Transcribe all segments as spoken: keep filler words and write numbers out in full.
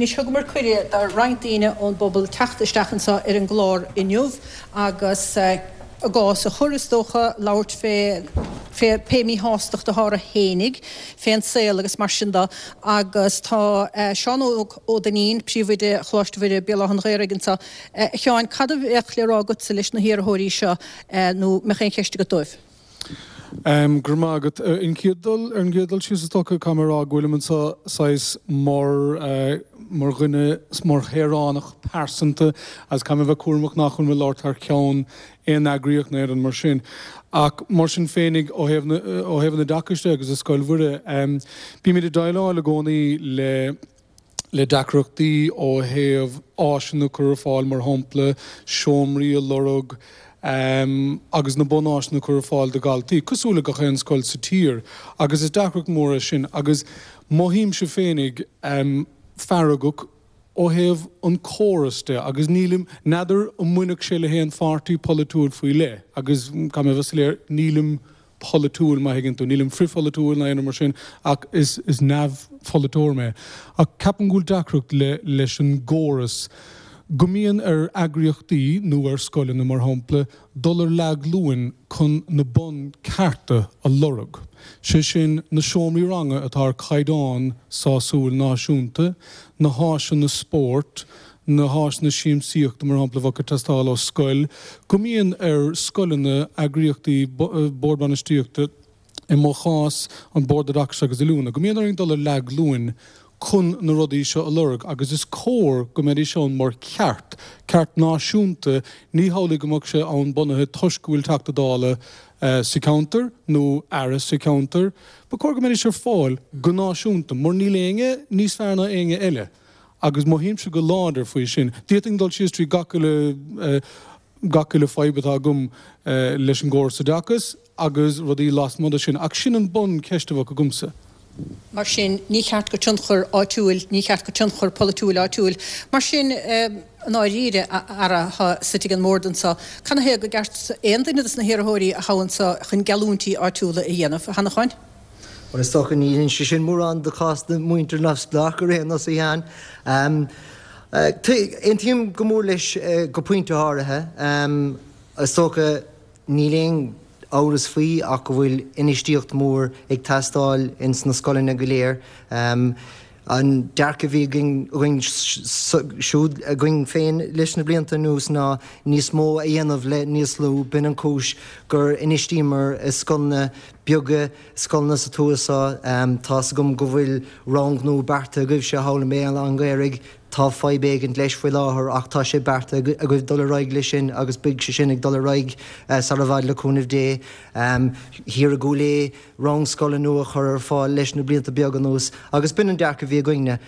Anois thugamar cuireadh do roinnt daoine ón bpobal teacht isteach anseo ar an gclár inniu agus a gcás a chur, is dócha, labhairt fé fé pé míshástacht atá orthu fhéinig fén saol agus mar sin de agus tá Seán Óg Ó Duinnín, Príomhoide Choláiste Mhuire, Béal Átha an Ghaorthaidh anseo. A Sheáin, cad a bheadh le rá agatsa leis na hiarrthóirí seo nó mbeadh aon cheist agat dóibh? Go raibh maith agat. Ar an gcéad dul, ar an gcéad dul síos is dócha, caithfidh mé a rá go bhfuilim anseo saghas mar, mar dhuine, mar shaoránach pearsanta agus caithfidh mé a bheith cúramach nach bhfuil mé ag labhairt thar ceann aon eagraíocht nó aon rud mar sin. Ach mar sin féinig, ó thaobh na, ó thaobh an oideachais de agus i Scoil Mhuire, bímid ag déileáil i gcónaí le, le deacrachtaí ó thaobh áiseanna a chur ar fáil, mar shampla, seomraí a lorg, agus na bunáiseanna a chur ar fáil do dhaltaí, cosúil le gach aon scoil sa tír. Agus is deacracht mór é sin. Agus mothaímse féinig feargach ó thaobh an córas de agus nílim, n'fheadar an mbainfeadh sé le haon pháirtí polaitiúil faoi leith agus caithfidh mé a bheith soiléir, nílim polaitiúil má thuigeann tú, nílim frithpholaitiúil ná aon rud mar sin ach is is neamhpholaiteoir mé. Ach ceapaim go bhfuil deacracht le leis an gcóras go mbíonn ar eagraíochtaí nó ar scoileanna mar shampla dul ar leathghlúin chun na bunchearta a lorg, sé sin na seomraí ranga atá ar chaighdeán sásúil náisiúnta, na háiseanna spóirt, na háiseanna siamsaíochta mar shampla a bheadh ag teastáil ó scoil, go mbíonn ar scoileanna, eagraíochtaí, bord bainistíochta, i mo chás an Bord Oideachais agus Oiliúna, go mbíonn orainn dul ar leathghlúin chun na rudaí seo a lorg agus is cóir go mbeidís ann mar cheart, ceart náisiúnta, ní hamhlaidh go mbeadh sé ann bunaithe toisc go bhfuil Teachta Dála sa cheantar nó Aire sa cheantar. Ba chóir go mbeidís ar fáil go náisiúnta mar níl éinne níos fearr ná éinne eile agus mothaímse go láidir faoi sin. D'fhéadfainn dul síos trí gach uile gach uile fadhb atá agam leis an gcóras oideachais agus rudaí lasmuigh de sin ach sin an bun-cheist a bheadh agamsa. Mar sin, ní cheart go tionchar áitiúil, ní cheart go tionchar polaitiúil áitiúil. Mar sin, i ndáiríre, a fheara atá suite ag an mbord anseo, canathaobh go gceart aon duine dos na hiarrthóirí a thoghadh anseo chun geallúintí áitiúla a dhéanamh? A Sheanacháin? Bhuel, is dócha ní oireann sé sin mórán do chás na muintir neamhspleách ar aon nós, a Sheáin. Aontaím go mór leis go pointe áirithe. Is dócha níl aon amhras faoi ach go bhfuil infheistíocht mhór ag teastáil ins na scoileanna go léir. An dearcadh a bhí againn siúd againn féin leis na blianta anuas ná níos mó a dhéanamh le níos lú. B'in an chúis gur infheistíomar i scoileanna beaga, scoileanna sa tuath seo. Tá's agam go bhfuil rang nua beartaithe agaibhse thall i mBéal Átha an Ghaorthaidh. Tá fadhb éigint leis faoi láthair ach tá sé beartaithe agaibh dul ar aghaidh leis sin agus beidh sé sin ag dul ar aghaidh sar i bhfad le cúnamh Dé. Thiar i gCúil Aodha, rang scoile nua a chur ar fáil leis na blianta beaga anuas agus b'in an dearcadh a bhí againne.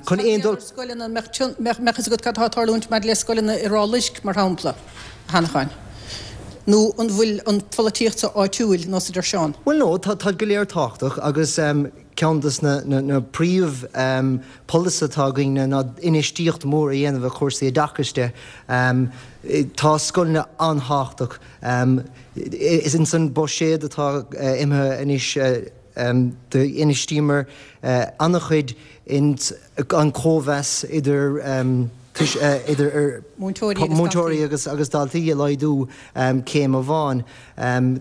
Chun aon dul. Scoileanna, an mbeadh fhios agat cad atá ag tarlúint maidir le scoileanna i Ráth Luisc, mar shampla, a Sheanacháin? Nó an bhfuil an pholaitíocht seo áitiúil, nós a deir Seán? Bhuel no, tá, táid go léir tábhachtach agus ceann des na príomh polasaithe atá againne ná infheistíocht mhór a dhéanamh i chúrsaí oideachais de. Tá scoileanna an-thábhachtach. Is ins an buiséad atá imithe anois d'infheistíomar an-chuid ins an cóimheas idir idir múinteoirí agus daltaí a laghdú céim amháin.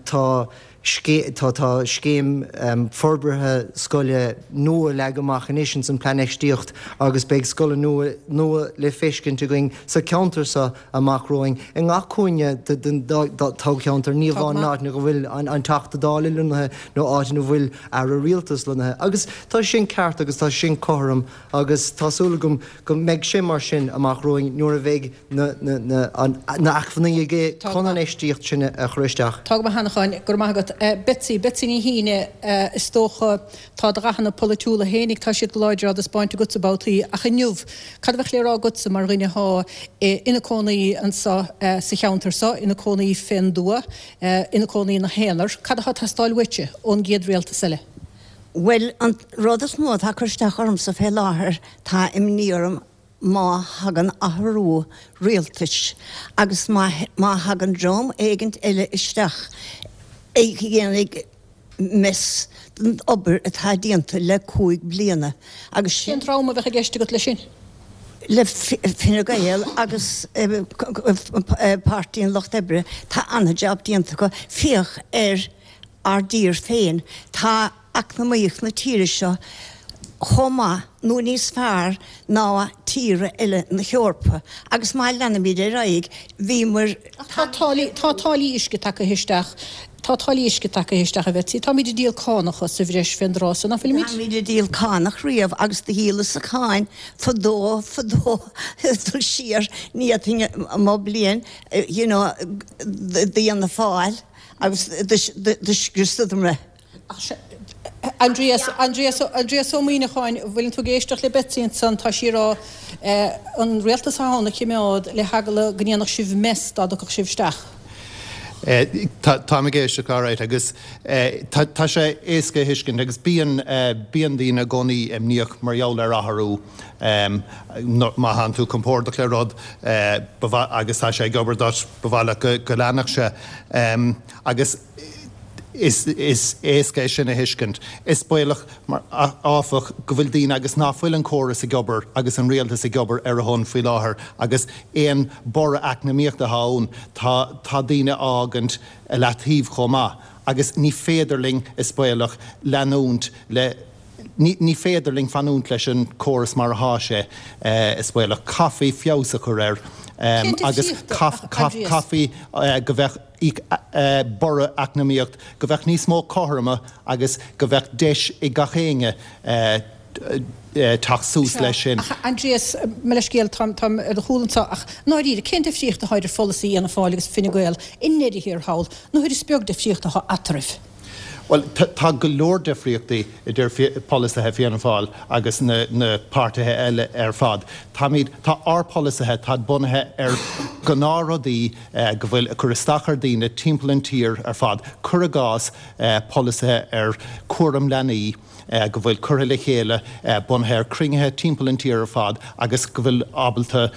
Tá Tá tá scéim forbartha scoile nua leagtha amach anois ins an Plean Infheistíocht agus beidh scoileanna nua nua le feiscint againn sa cheantar seo amach romhainn. I ngach cúinne den toghcheantar, ní amháin in áiteanna go bhfuil an Teachta Dála lonnaithe nó áit ina bhfuil Aire Rialtais lonnaithe. Agus tá sin ceart agus tá sin cothrom agus tá súil agam go mbeidh sé mar sin amach romhainn nuair a bheidh na na acmhainní aige chun an infheistíocht sin a chur isteach. Tá go maith, a Sheanacháin, go raibh maith agat. Betsy, Betsy Ní Shíne, is dócha, tá do dhathanna polaitiúla fhéinig, tá siad go láidir á dtaispeáint agatsa babhtaí, ach inniu, cad a bheadh le rá agatsa mar dhuine athá ina cónaí anso sa cheantar so, ina cónaí fén dtuath, ina cónaí ina haonar, cad athá ag teastáil uaitse ón gcéad rialtas eile? Bhuel, an rud is mó atá ag cur isteach ormsa fé láthair, tá imní orm má thagann athrú rialtais agus má thagann dream éigint eile isteach a dhéanfaidh mess den obair atá déanta le cúig bliana agus sin. Cén dream a bheadh i gceist agat leis sin? le Fine Gael agus Páirtí an Lucht Oibre, tá an-jab déanta acu. Féach ar ár dtír féin, tá eacnamaíocht na tíre seo chomh maith nó níos fearr ná tíortha eile na hEorpa agus má leanaimid ar aghaidh, bhíomar. Ach tá táillí, tá táillí uisce tagtha isteach, tá táillí uisce tagtha isteach, a Bhetsy. Táimid ag díol cánacha sa bhreis fén dtráth so, ná fuilimid? Táimid ag díol cánach riamh agus do dhíolas-sa cáin fadó, fadó, dul siar, ní fhéadfainn mo bliain, you know, d'Fhianna Fáil agus do scriosadar mé. Aindrias, Aindrias, Aindrias Ó Muimhneacháin, bhfuileann tú ag éisteacht le Betsy ansan, tá sí ag rá an rialtas atá ann a chimeád le heagla go ndéanfadh sibh mess dá dtiocfadh sibh isteach. Táim ag éisteacht alright agus tá sé éasca a thuiscint agus bíonn, bíonn daoine i gcónaí imníoch mar gheall ar athrú. Má thánn tú compordach le rud agus tá sé ag obair duit, ba mhaith leat go leanfadh sé. Agus Is éasca é sin a thuiscint. Is baolach, áfach, go bhfuil daoine agus ná fuil an córas ag obair agus an rialtas ag obair ar a shon faoi láthair agus aon borradh eacnamaíochta atá ann, tá tá daoine á fhágaint i leataobh chomh maith agus ní féidir linn, is baolach, leanúint le Ní ní féidir linn fanúint leis an córas mar athá sé, is baolach. Caithfí feabhas a chur air Cén agus difríocht, a Aindrias? caithfí go bheadh borradh eacnamaíocht, go bheadh níos mó cothroime agus go bheadh deis ag gach éinne teacht suas Sea, leis sin. ach a Aindrias, mo leithscéal, táim táim ar do chúl anseo, ach i ndáiríre, cén difríocht atá idir pholasaí Fhianna Fáil agus Fine Gael i ndeireadh thiar thall, nuair is beag difríocht atá eatarthu? Bhuel, tá go leor difríochtaí idir polasaithe Fianna Fáil agus na na páirtithe eile ar fad. Táimid, tá ár polasaithe, táid bunaithe ar ghnáthrudaí go bhfuil ag cur isteach ar daoine timpeall an tír ar fad. Cuir i gcás, polasaithe ar cúram leanaí go bhfuil curtha le chéile bunaithe ar cruinnithe timpeall an tír ar fad agus go bhfuil ábalta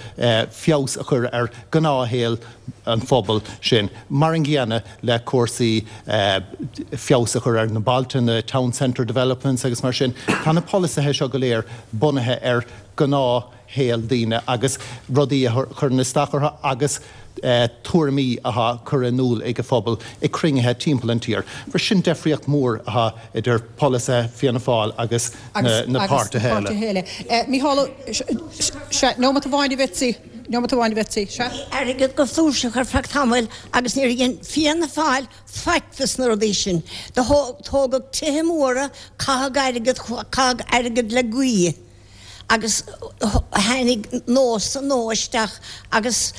feabhas a chur ar ghnáthshaol an phobail sin. Mar an gcéanna le cúrsaí feabhas a chur ar na bailte, na town centre developments agus mar sin. Tá na polasaithe seo go léir bunaithe ar ghnáthshaol daoine agus rudaí a chuireann isteach orthu agus tuairimí atá curtha in iúl ag an phobal ag cruinnithe timpeall an tír. Mar sin deifríocht mhór atá idir polasaithe Fianna Fáil agus na páirtithe eile. Mícheál Ó, sea, nóimeat amháin a Bhetsy. Nóimeat amháin a Bhetsy. Sea. Bhí airgead go flúirseach ar feadh tamaill agus níor dhein Fianna Fáil faic dos na rudaí sin. Do tógadh tithe móra, caitheadh airgead, caitheadh airgead le gaoith agus tháinig nós nua isteach agus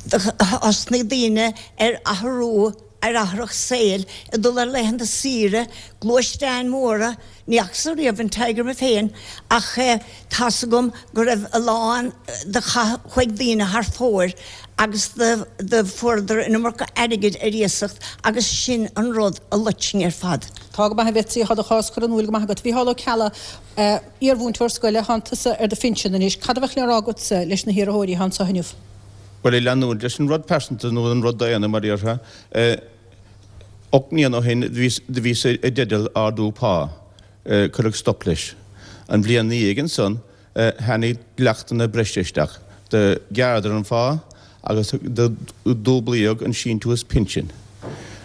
thosnaigh daoine ar athrú ar athrach saoil, ag dul ar laethanta saoire, gluaisteáin mhóra, ní fhacas-sa riamh an Tiger mé féin ach tá's agam go raibh a lán do chaith chuaigh daoine thar fóir agus do do fuaireadar an iomarca airgid ar iasacht agus sin an rud a loit sinn ar fad. Tá go maith a Bhetsy, tá do chás curtha in iúl go maith agat. Mhícheál Ó Ceallaigh, iarmhúinteoir scoile, thánn tusa ar do phinsean anois, cad a bheadh le rá agatsa leis na hiarrthóirí atá anseo inniu? Bhuel, ag leanúint leis an rud pearsanta nó an rud daonna mar a déarfá, ocht mbliana ó shin do bhíos i dteideal ardú pá. Cuireadh stop leis. An bhliain ina dhiaidh ansan tháinig dleachtanna breise isteach. Do ghearradar an phá agus do dúblaíodh an síntiús pinsin.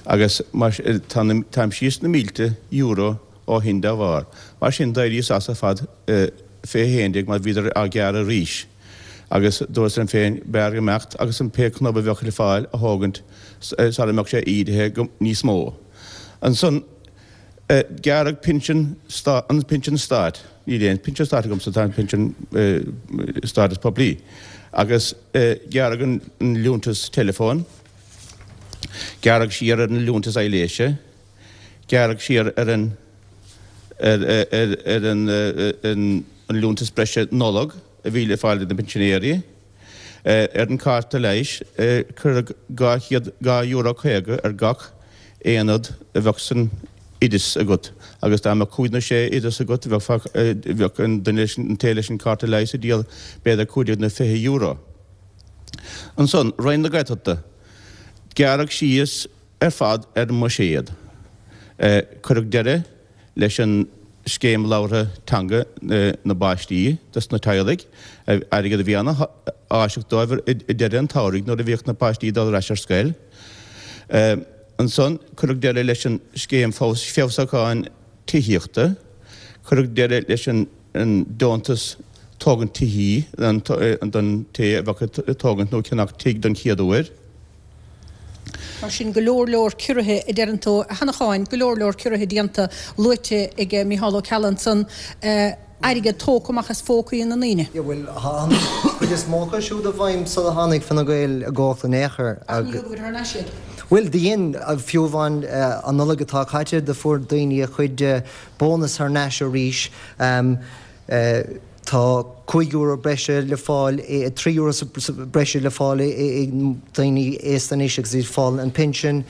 Agus táim síos na mílte euro ó shin dá bharr. Mar sin, d'éiríos as ar fad fé haon déag mar bhíodar á gearradh arís. Agus dúras liom féin, b'fhearr imeacht agus an pé cnub a bheadh le fáil a thógaint sara mbeadh sé ídithe níos mó. Ansan, gearradh pinsean, an pinsean stáit, níl aon pinsean stáit agamsa, tá an pinsean stáit is poiblí, agus gearradh an liúntas teileafóin, gearradh siar ar an liúntas aibhléise, Gearradh siar ar an ar an an liúntas breise Nollag a bhí le fáil ag na pinsinéirí. Ar an cárta leighis, cuireadh dhá chéad dhá euro caoga ar gach aonad a bheadh san oideas agat agus dá mbeadh cúig nó sé oideas agat bheadh bheadh an duine leis an té leis an cárta leighis ag díol b'fhéidir cúig déag nó fiche euro. Ansan, Roinn na Gaeltachta, gearradh síos ar fad ar an mbuiséad. Cuireadh deireadh leis an scéim labhartha teanga na bpáistí dos na teaghlaigh, airgead a bhí ana-áiseach dóibh i deireadh an tsamhraidh nuair a bhíodh na páistí ag dul ar ais ar scoil. Ansan cuireadh deireadh leis an scéim feabhsúcháin tithíochta, cuireadh deireadh leis an deontas tógaint tithí don té a bheadh ag tógaint nó ceannach tigh don chéad uair. Mar sin, go leor leor ciorruithe, a deireann tú, a Sheanacháin, go leor leor ciorruithe déanta, luaite ag Micheál Ó Ceallaigh ansan, airgead tógtha amach as phócaí na ndaoine. Yeah, bhuel, tá an chuid is mó acu siúd i bhfeidhm sula tháinig Fine Gael i gcumhacht in aon chor. Ach ní thugadar thar n-ais iad. Bhuel, do dhein, fiú amháin an Nollaig atá caite, do fuair daoine a chuid bónas thar n-ais arís. Tá cúig euro breise le fáil, trí euro breise le fáil ag daoine aosta anois agus iad ag fáil an pinsean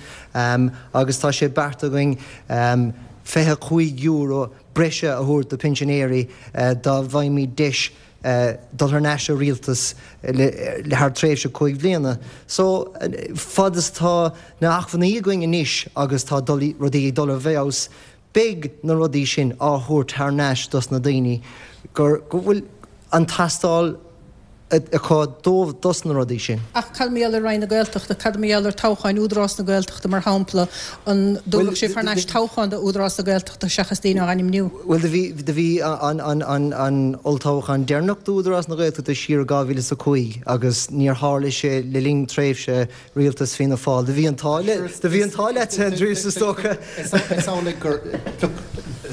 agus tá sé beartaithe againn fiche cúig euro breise a thabhairt do pinsinéirí dá bhfaighimid deis dul thar n-ais sa rialtas le thar tréimhse cúig bhliana. So, fad is atá na hacmhainní againn anois agus tá rudaí ag dul i bhfeabhas, Beidh na rudaí sin á thabhairt thar n-ais dos na daoine gur go bhfuil an teastáil acu dóibh dos na rudaí sin. Ach cad mar gheall ar Roinn na Gaeltachta, cad mar gheall ar toghcháin Údarás na Gaeltachta mar shampla, an dtabharfadh sibh thar n-ais toghchán do Údarás na Gaeltachta seachas daoine á ainmniú? Bhuel do bhí do bhí an an an an olltoghchán deireanach d'Údarás na Gaeltachta siar i dhá mhíle is a cúig agus níor tharla sé le linn tréimhse Rialtas Fianna Fáil. Do bhí an t-ádh le, do bhí an t-ádh leat, a Aindrias, is dócha. Is amhlaidh gur, look,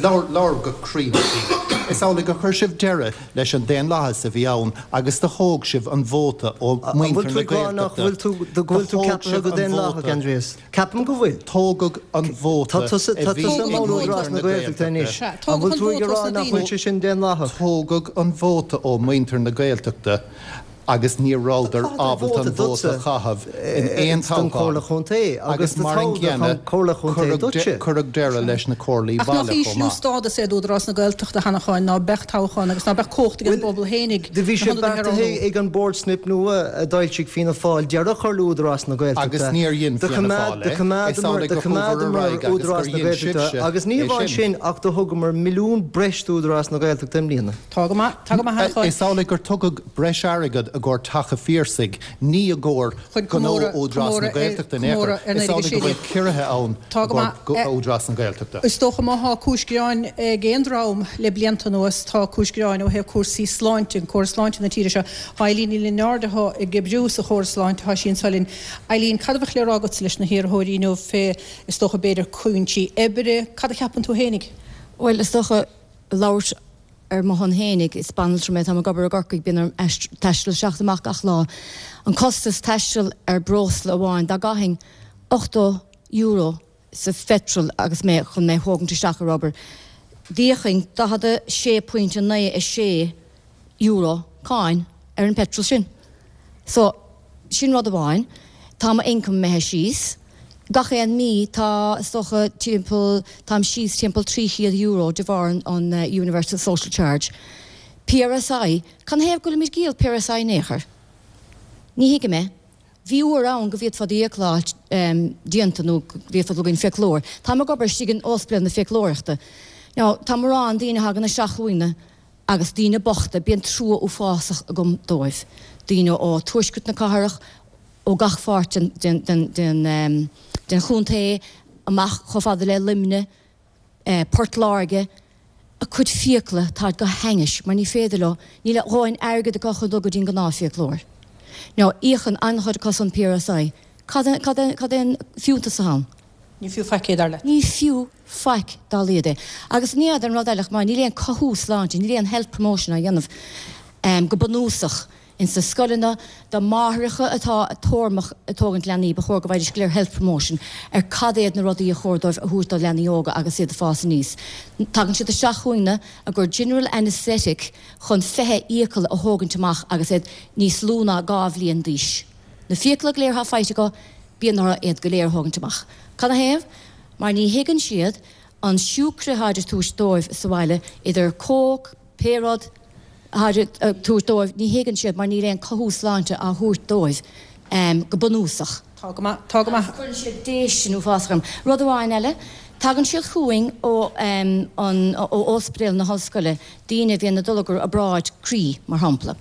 labhair, labhair go cruinn faoi. Is amhlaidh gur chuir sibh deireadh leis an daonlathas a bhí ann agus do thóg sibh an vóta ó An bhfuil mhuintir tú na ag rá nach Gaeltachta. bhfuil tú, go Do bhfuil tú thóg ceaptha sibh go an daonlathach, vóta. Aindrias? Ceapaim go bhfuil. Tógadh an Tá vóta tusa, a tá bhí tusa ag i mbun muintir Údarás na na Gaeltachta Gaeltachta. anois. Sea, An tógadh bhfuil an tú ag vóta rá os na nach bhfuil daoine. sé sin daonlathach? Tógadh an vóta ó mhuintir na Gaeltachta. agus ní rabhadar ábalta an vóta a chaitheamh in aon toghchán agus mar an gcéanna cuireadh deireadh leis na comhairlí Ach nach baile chomh ísliú maith. stádas é d'Údarás na Gaeltachta, a Sheanacháin, ná beadh toghchán agus ná beadh cumhacht ag an bpobal fhéinig Do bhí na sé hionadaithe a roghnú. beartaithe ag an Bord Snip Nua a d'fhoilsigh Fianna Fáil deireadh a chur le Údarás na Gaeltachta. Agus níor dhein Do Fianna choimeád Fáil do é. Is choimeádamar amhlaidh do gur chuabhar ar choimeádamar aghaidh agus gur Údarás na dhein Gaeltachta sibhse agus ní é amháin sin. sin ach do thugamar milliún breis d'Údarás na Gaeltachta i mbliana. Tá go maith, tá go maith, a Sheanacháin. Is amhlaidh gur tugadh breis airgead i gcomhair Teach an Phiarsaigh, ní i gcomhair Chun gnó comóradh, Údarás na comóradh ar, Gaeltachta in aon chor. comóradh ar Is naoi déag a amhlaidh sé go bhfuil déag. ciorruithe ann Tá i go gcomhair maith. Údarás na Gaeltachta. Is dócha má thá cúis gearáin ag aon dream le blianta anuas, tá cúis gearáin ó thaobh cúrsaí sláinte, an córas sláinte na tíre seo. Tá Eileen Ní Lionáird atá ag oibriú sa chóras sláinte, tá sí anso linn. Eileen, cad a bheadh le rá agatsa leis na hiarrthóirí inniu fé, is dócha b'fhéidir cúinsí oibre, cad a cheapann tú fhéinig? Bhuel, is dócha labhairt ar mo shon fhéinig, is banaltra mé, táim ag obair i gCorcaigh, bíonn orm taisteal isteach is amach gach lá. An costas taistil ar breosla amháin, dá gcaithfinn ochtó euro sa phetrol agus mé chun mé a thógaint isteach ar obair, d'íocfainn daichead a sé pointe naoi a sé euro cáin ar an petrol sin. So, sin rud amháin. Tá mo income imithe síos. Gach aon mí tá, is dócha, timpeall, táim síos timpeall trí chéad euro de bharr an Universal Social Charge. PRSI, canathaobh go bhfuilimid ag díol PRSI in aon chor? Ní thuigim é. Bhí uair ann go bhféadfá d'fhiacla a fháil déanta nó go bhféadfá dul go dtí an fiaclóir. Táim ag obair istigh in ospidéal na fiaclóireachta. Now, tá mórán daoine a thagann isteach chugainne agus daoine bochta, bíonn trua uafásach agam dóibh. Daoine ó tuaisceart na cathrach, ó gach pháirt den chontae, amach chomh fada le Luimneach, Port Láirge, a gcuid fiacla, táid go hainnis mar ní féidir leo, níl a dhóthain airgid acu chun dul go dtí an gnáthfhiaclóir. Now, íocann an-chuid acu san PRSI. Cad é an fiúntas atá ann? Ní fiú faic é, dar leat? Ní fiú faic dá laghad é. Agus ní fheadar an rud eile chomh maith, níl aon cothú sláinte, níl aon health promotion á dhéanamh go bunúsach ins na scoileanna do máithreacha atá tormach ag tógaint leanaí, ba chóir go bhfaighidís go léir health promotion ar cad iad na rudaí a chóir dóibh a thabhairt dá leanaí óga agus iad ag fás aníos. Tagann siad isteach chugainne á gcur general anaesthetic chun fiche fhiacail a thógaint amach agus iad níos lú ná dhá bhliain d'aois. Na fiacla go léir atá faighte acu, bíonn orthu iad go léir a thógaint amach. Canathaobh? Mar ní thuigeann siad an siúcra atáid ag tabhairt dóibh sa bhaile, idir Coke, pé rud atáid ag tabhairt dóibh, ní thuigeann siad mar níl aon cothú sláinte á thabhairt dóibh go bunúsach. Tá go maith, tá go maith. Agus cuireann siad déistin uafásach orm. Rud amháin eile, Tagann siad chugainn ó an ó Ospidéal na hOllscoile, daoine a bhíonn ag dul i gcomhair obráid croí, mar shampla.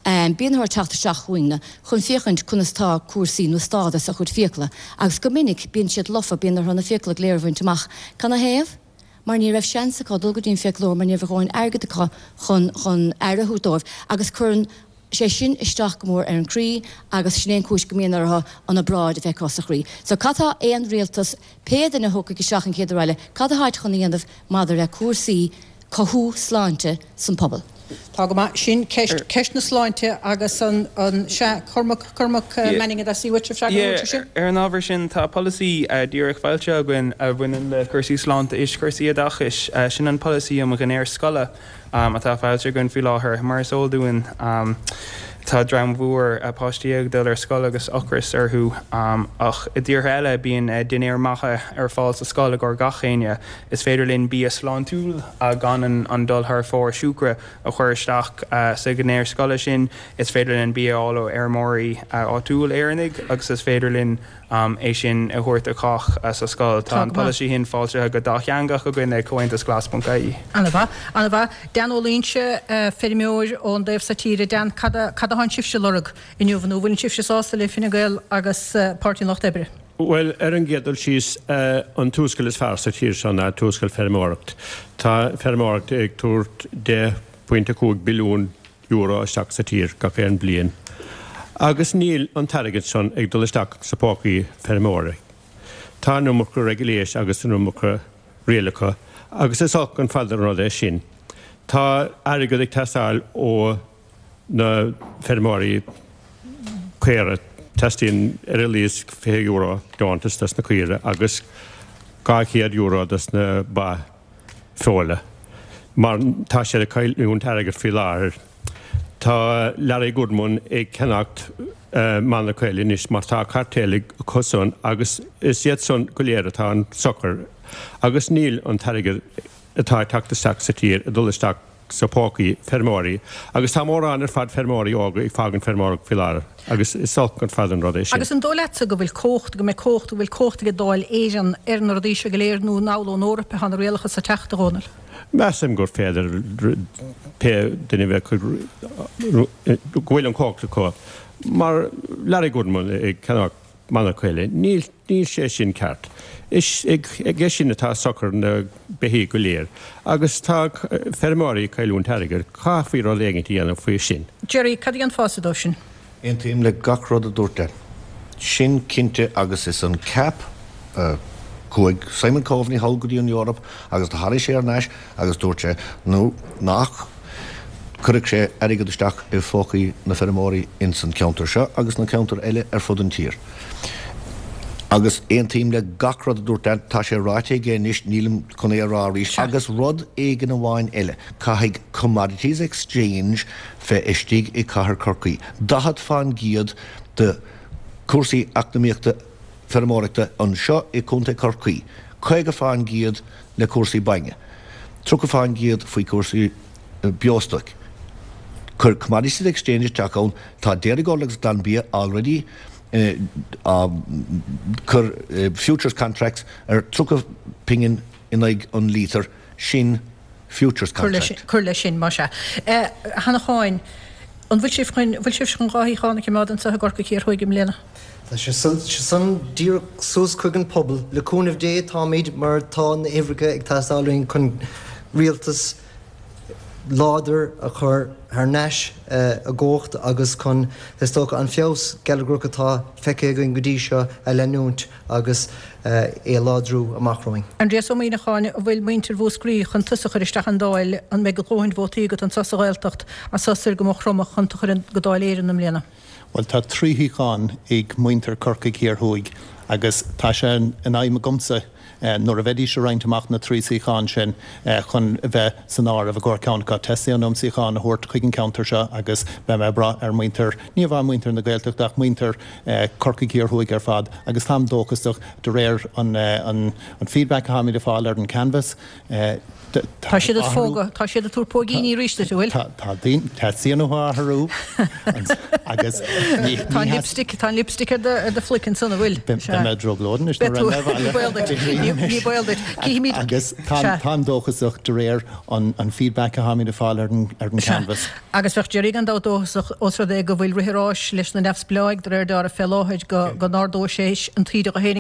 Bíonn orthu teacht isteach chugainne chun féachaint conas tá cúrsaí nó stádas a chuid fiacla agus go minic bíonn siad lofa, bíonn orthu na fiacla go léir a bhaint amach. Canathaobh? Mar ní raibh seans acu dul go dtí an fiaclóir mar ní raibh a dhóthain airgid acu chun chun aire a thabhairt dóibh agus cuireann sé sin isteach go mór ar an gcroí agus sin é an chúis go mbíonn orthu an obráid a bheith acu sa chroí. So cad tá aon rialtas, pé duine a thiocfaidh isteach an chéad uair eile, cad atáid chun a dhéanamh maidir le cúrsaí cothú sláinte san pobal? Tá go maith. Sin ceist, ceist na sláinte agus an, an, sea, Cormac, Cormac Manning a theastaigh uait freagra a thabhairt air sin? Ar an ábhar sin, tá polasaí díreach foilsithe againn a bhaineann le cúrsaí sláinte is cúrsaí oideachais. Sin an polasaí um dhinnéar scoile. atá foilsithe againn faoi láthair. Mar is eol dúinn, tá dream mhór páistí ag dul ar scoil agus ocras orthu, ach i dtíortha eile bíonn dinnéir maithe ar fáil sa scoil i gcomhair gach éinne. Is féidir linn bia sláintiúil gan an dul thar fóir siúcra a chur isteach sa dhinnéar scoile sin. Is féidir linn bia a fháil ó fheirmeoirí áitiúil Éireannaigh agus is féidir linn é sin a thabhairt do chách sa scoil. Tá an polasaí sin foilsithe go dátheangach againn ag Comhaontas Glas ponc ie. An-mhaith, an-mhaith. Dan Ó Loingsigh, feirmeoir ón dtaobh so tíre. Dan, cad a, cad atánn sibhse a lorg inniu nó an bhfuileann sibhse sásta le Fine Gael agus Páirtí an Lucht Oibre? Bhuel, ar an gcéad dul síos, an tionscal is fearr sa tír seo ná tionscal feirmeoireacht. Tá feirmeoireacht ag tabhairt deich bpointe cúig billiún euro isteach sa tír gach aon bliain. Agus níl an t-airgead san ag dul isteach sa pócaí feirmeoirí. Tá an iomarca regulation agus an iomarca rialacha agus is olc an fad an rud é sin. Tá airgead ag teastáil ó na feirmeoirí caora, teastaíonn ar a laghad fiche euro deontas dos na caoire agus dhá chéad euro dos na ba feola mar tá siad ag cailliúint airgead faoi láthair. Tá Larry Goodman ag ceannacht monarcha eile anois mar tá cartel acusan agus is iad san go léir atá an-socair agus níl an t-airgead atá ag teacht isteach sa tír ag dul isteach sa pócaí feirmeoirí agus tá mórán ar fad feirmeoirí óga ag fágaint feirmeoireacht faoi láthair agus is olc an fad an rud é sin. Agus an dóigh leatsa go bhfuil cumhacht, go mbeidh cumhacht, go bhfuil cumhacht ag Dáil Éireann ar na rudaí seo go léir nó an ón Eoraip atá na rialacha ag teacht, a Dhónaill? Measaim gur féidir pé duine a bheith go bhfuil an chumhacht acu. Mar Larry Goodman ag ceannach monarcha eile, níl níl sé sin ceart. Is aige sin atá socair na beithígh go léir. Agus tá feirmeoirí ag cailliúint airgid, caithfí rud éigin a dhéanamh faoi sin. Gerry, cad a dhéanfása dóibh sin? Aontaím le gach rud a dúirt Dan. Sin cinnte agus is an cap a chuaigh Simon Coveney thall go dtí an Eoraip agus do tháinig sé ar n-ais agus dúirt sé nó nach cuirfeadh sé airgead isteach i phócaí na feirmeoirí ins an ceantar seo agus na ceantair eile ar fud an tír. Agus aontaím le gach rud a dúirt Dan, tá sé ráite aige anois, nílim chun é a rá arís. Agus rud éigin amháin eile, caithfidh Commodities Exchange bheith istigh i Cathair Chorcaí. Daichead fán gcéad de chúrsaí eacnamaíochta feirmeoireachta anseo i Contae Chorcaí, caoga fán gcéad le cúrsaí bainne, tríocha fán gcéad faoi chúrsaí beostoic. Cuir Commodities Exchange isteach ann, tá Dairygold agus Glanbia already á cur futures contracts ar tríocha pingin in aghaidh an lítir, sin futures contract. Cuir leis sin, más ea. A hAnnacháin, an bhfuil sibh chun, bhfuil sibh chun dhá shuíochán a choimeád anseo i gCorcaigh Thiar Thuaidh i mbliana? Tá sé san díreach suas chuig an pobal. Le cúnamh Dé táimid mar tá na huimhreacha ag teastáil uainn chun rialtas láidir a chur thar n-ais i gcumhacht agus chun, is dócha, an feabhas geilleagrach atá feicthe againn go dtí seo a leanúint agus é a láidriú amach romhainn. Aindrias Ó Muíneacháin, an bhfuil muintir Mhúscraí chun tusa a chur isteach an Dáil, an mbeidh a dhóthain vótaí agat anseo sa Ghaeltacht as soir go Maigh Chromtha chun tú a chur go Dáil Éireann i mbliana? Bhuel, tá trí shuíochán ag muintir Corcaigh Thiar Thuaidh agus tá sé in aidhm agamsa nuair a bheidís ag roinnt amach na trí suíochán sin chun a bheith san áireamh i gcomhair ceann acu. Teastaíonn uaim suíochán a thabhairt chuig an ceantar seo agus beidh mé ag brath ar mhuintir, ní amháin muintir na Gaeltachta ach muintir Corcaigh Thiar Thuaidh ar fad agus táim dóchasach de réir an feedback atáimid ag fáil ar an canvas. Tá siad ag fógra, tá siad ag tabhairt póigíní arís duit, an bhfuil? Tá, tá daoine, teastaíonn uathu athrú agus ní, Tá an lipstick, tá an lipstick ar do, ar do phluic ansan, an bhfuil? Beidh mé ag trioblóid anois nuair a bheidh mé abhaile. Ní, Ní baol duit. Cífimid. Agus táim dóchasach de réir an feedback atáimid ag fáil ar an canvas. Agus bheadh Gerry gan dabht dóchasach os rud é go bhfuil rith an ráis leis na neamhspleáigh de réir dealraimh fé láthair go n-ardóidh sé an taoide dó fhéinig.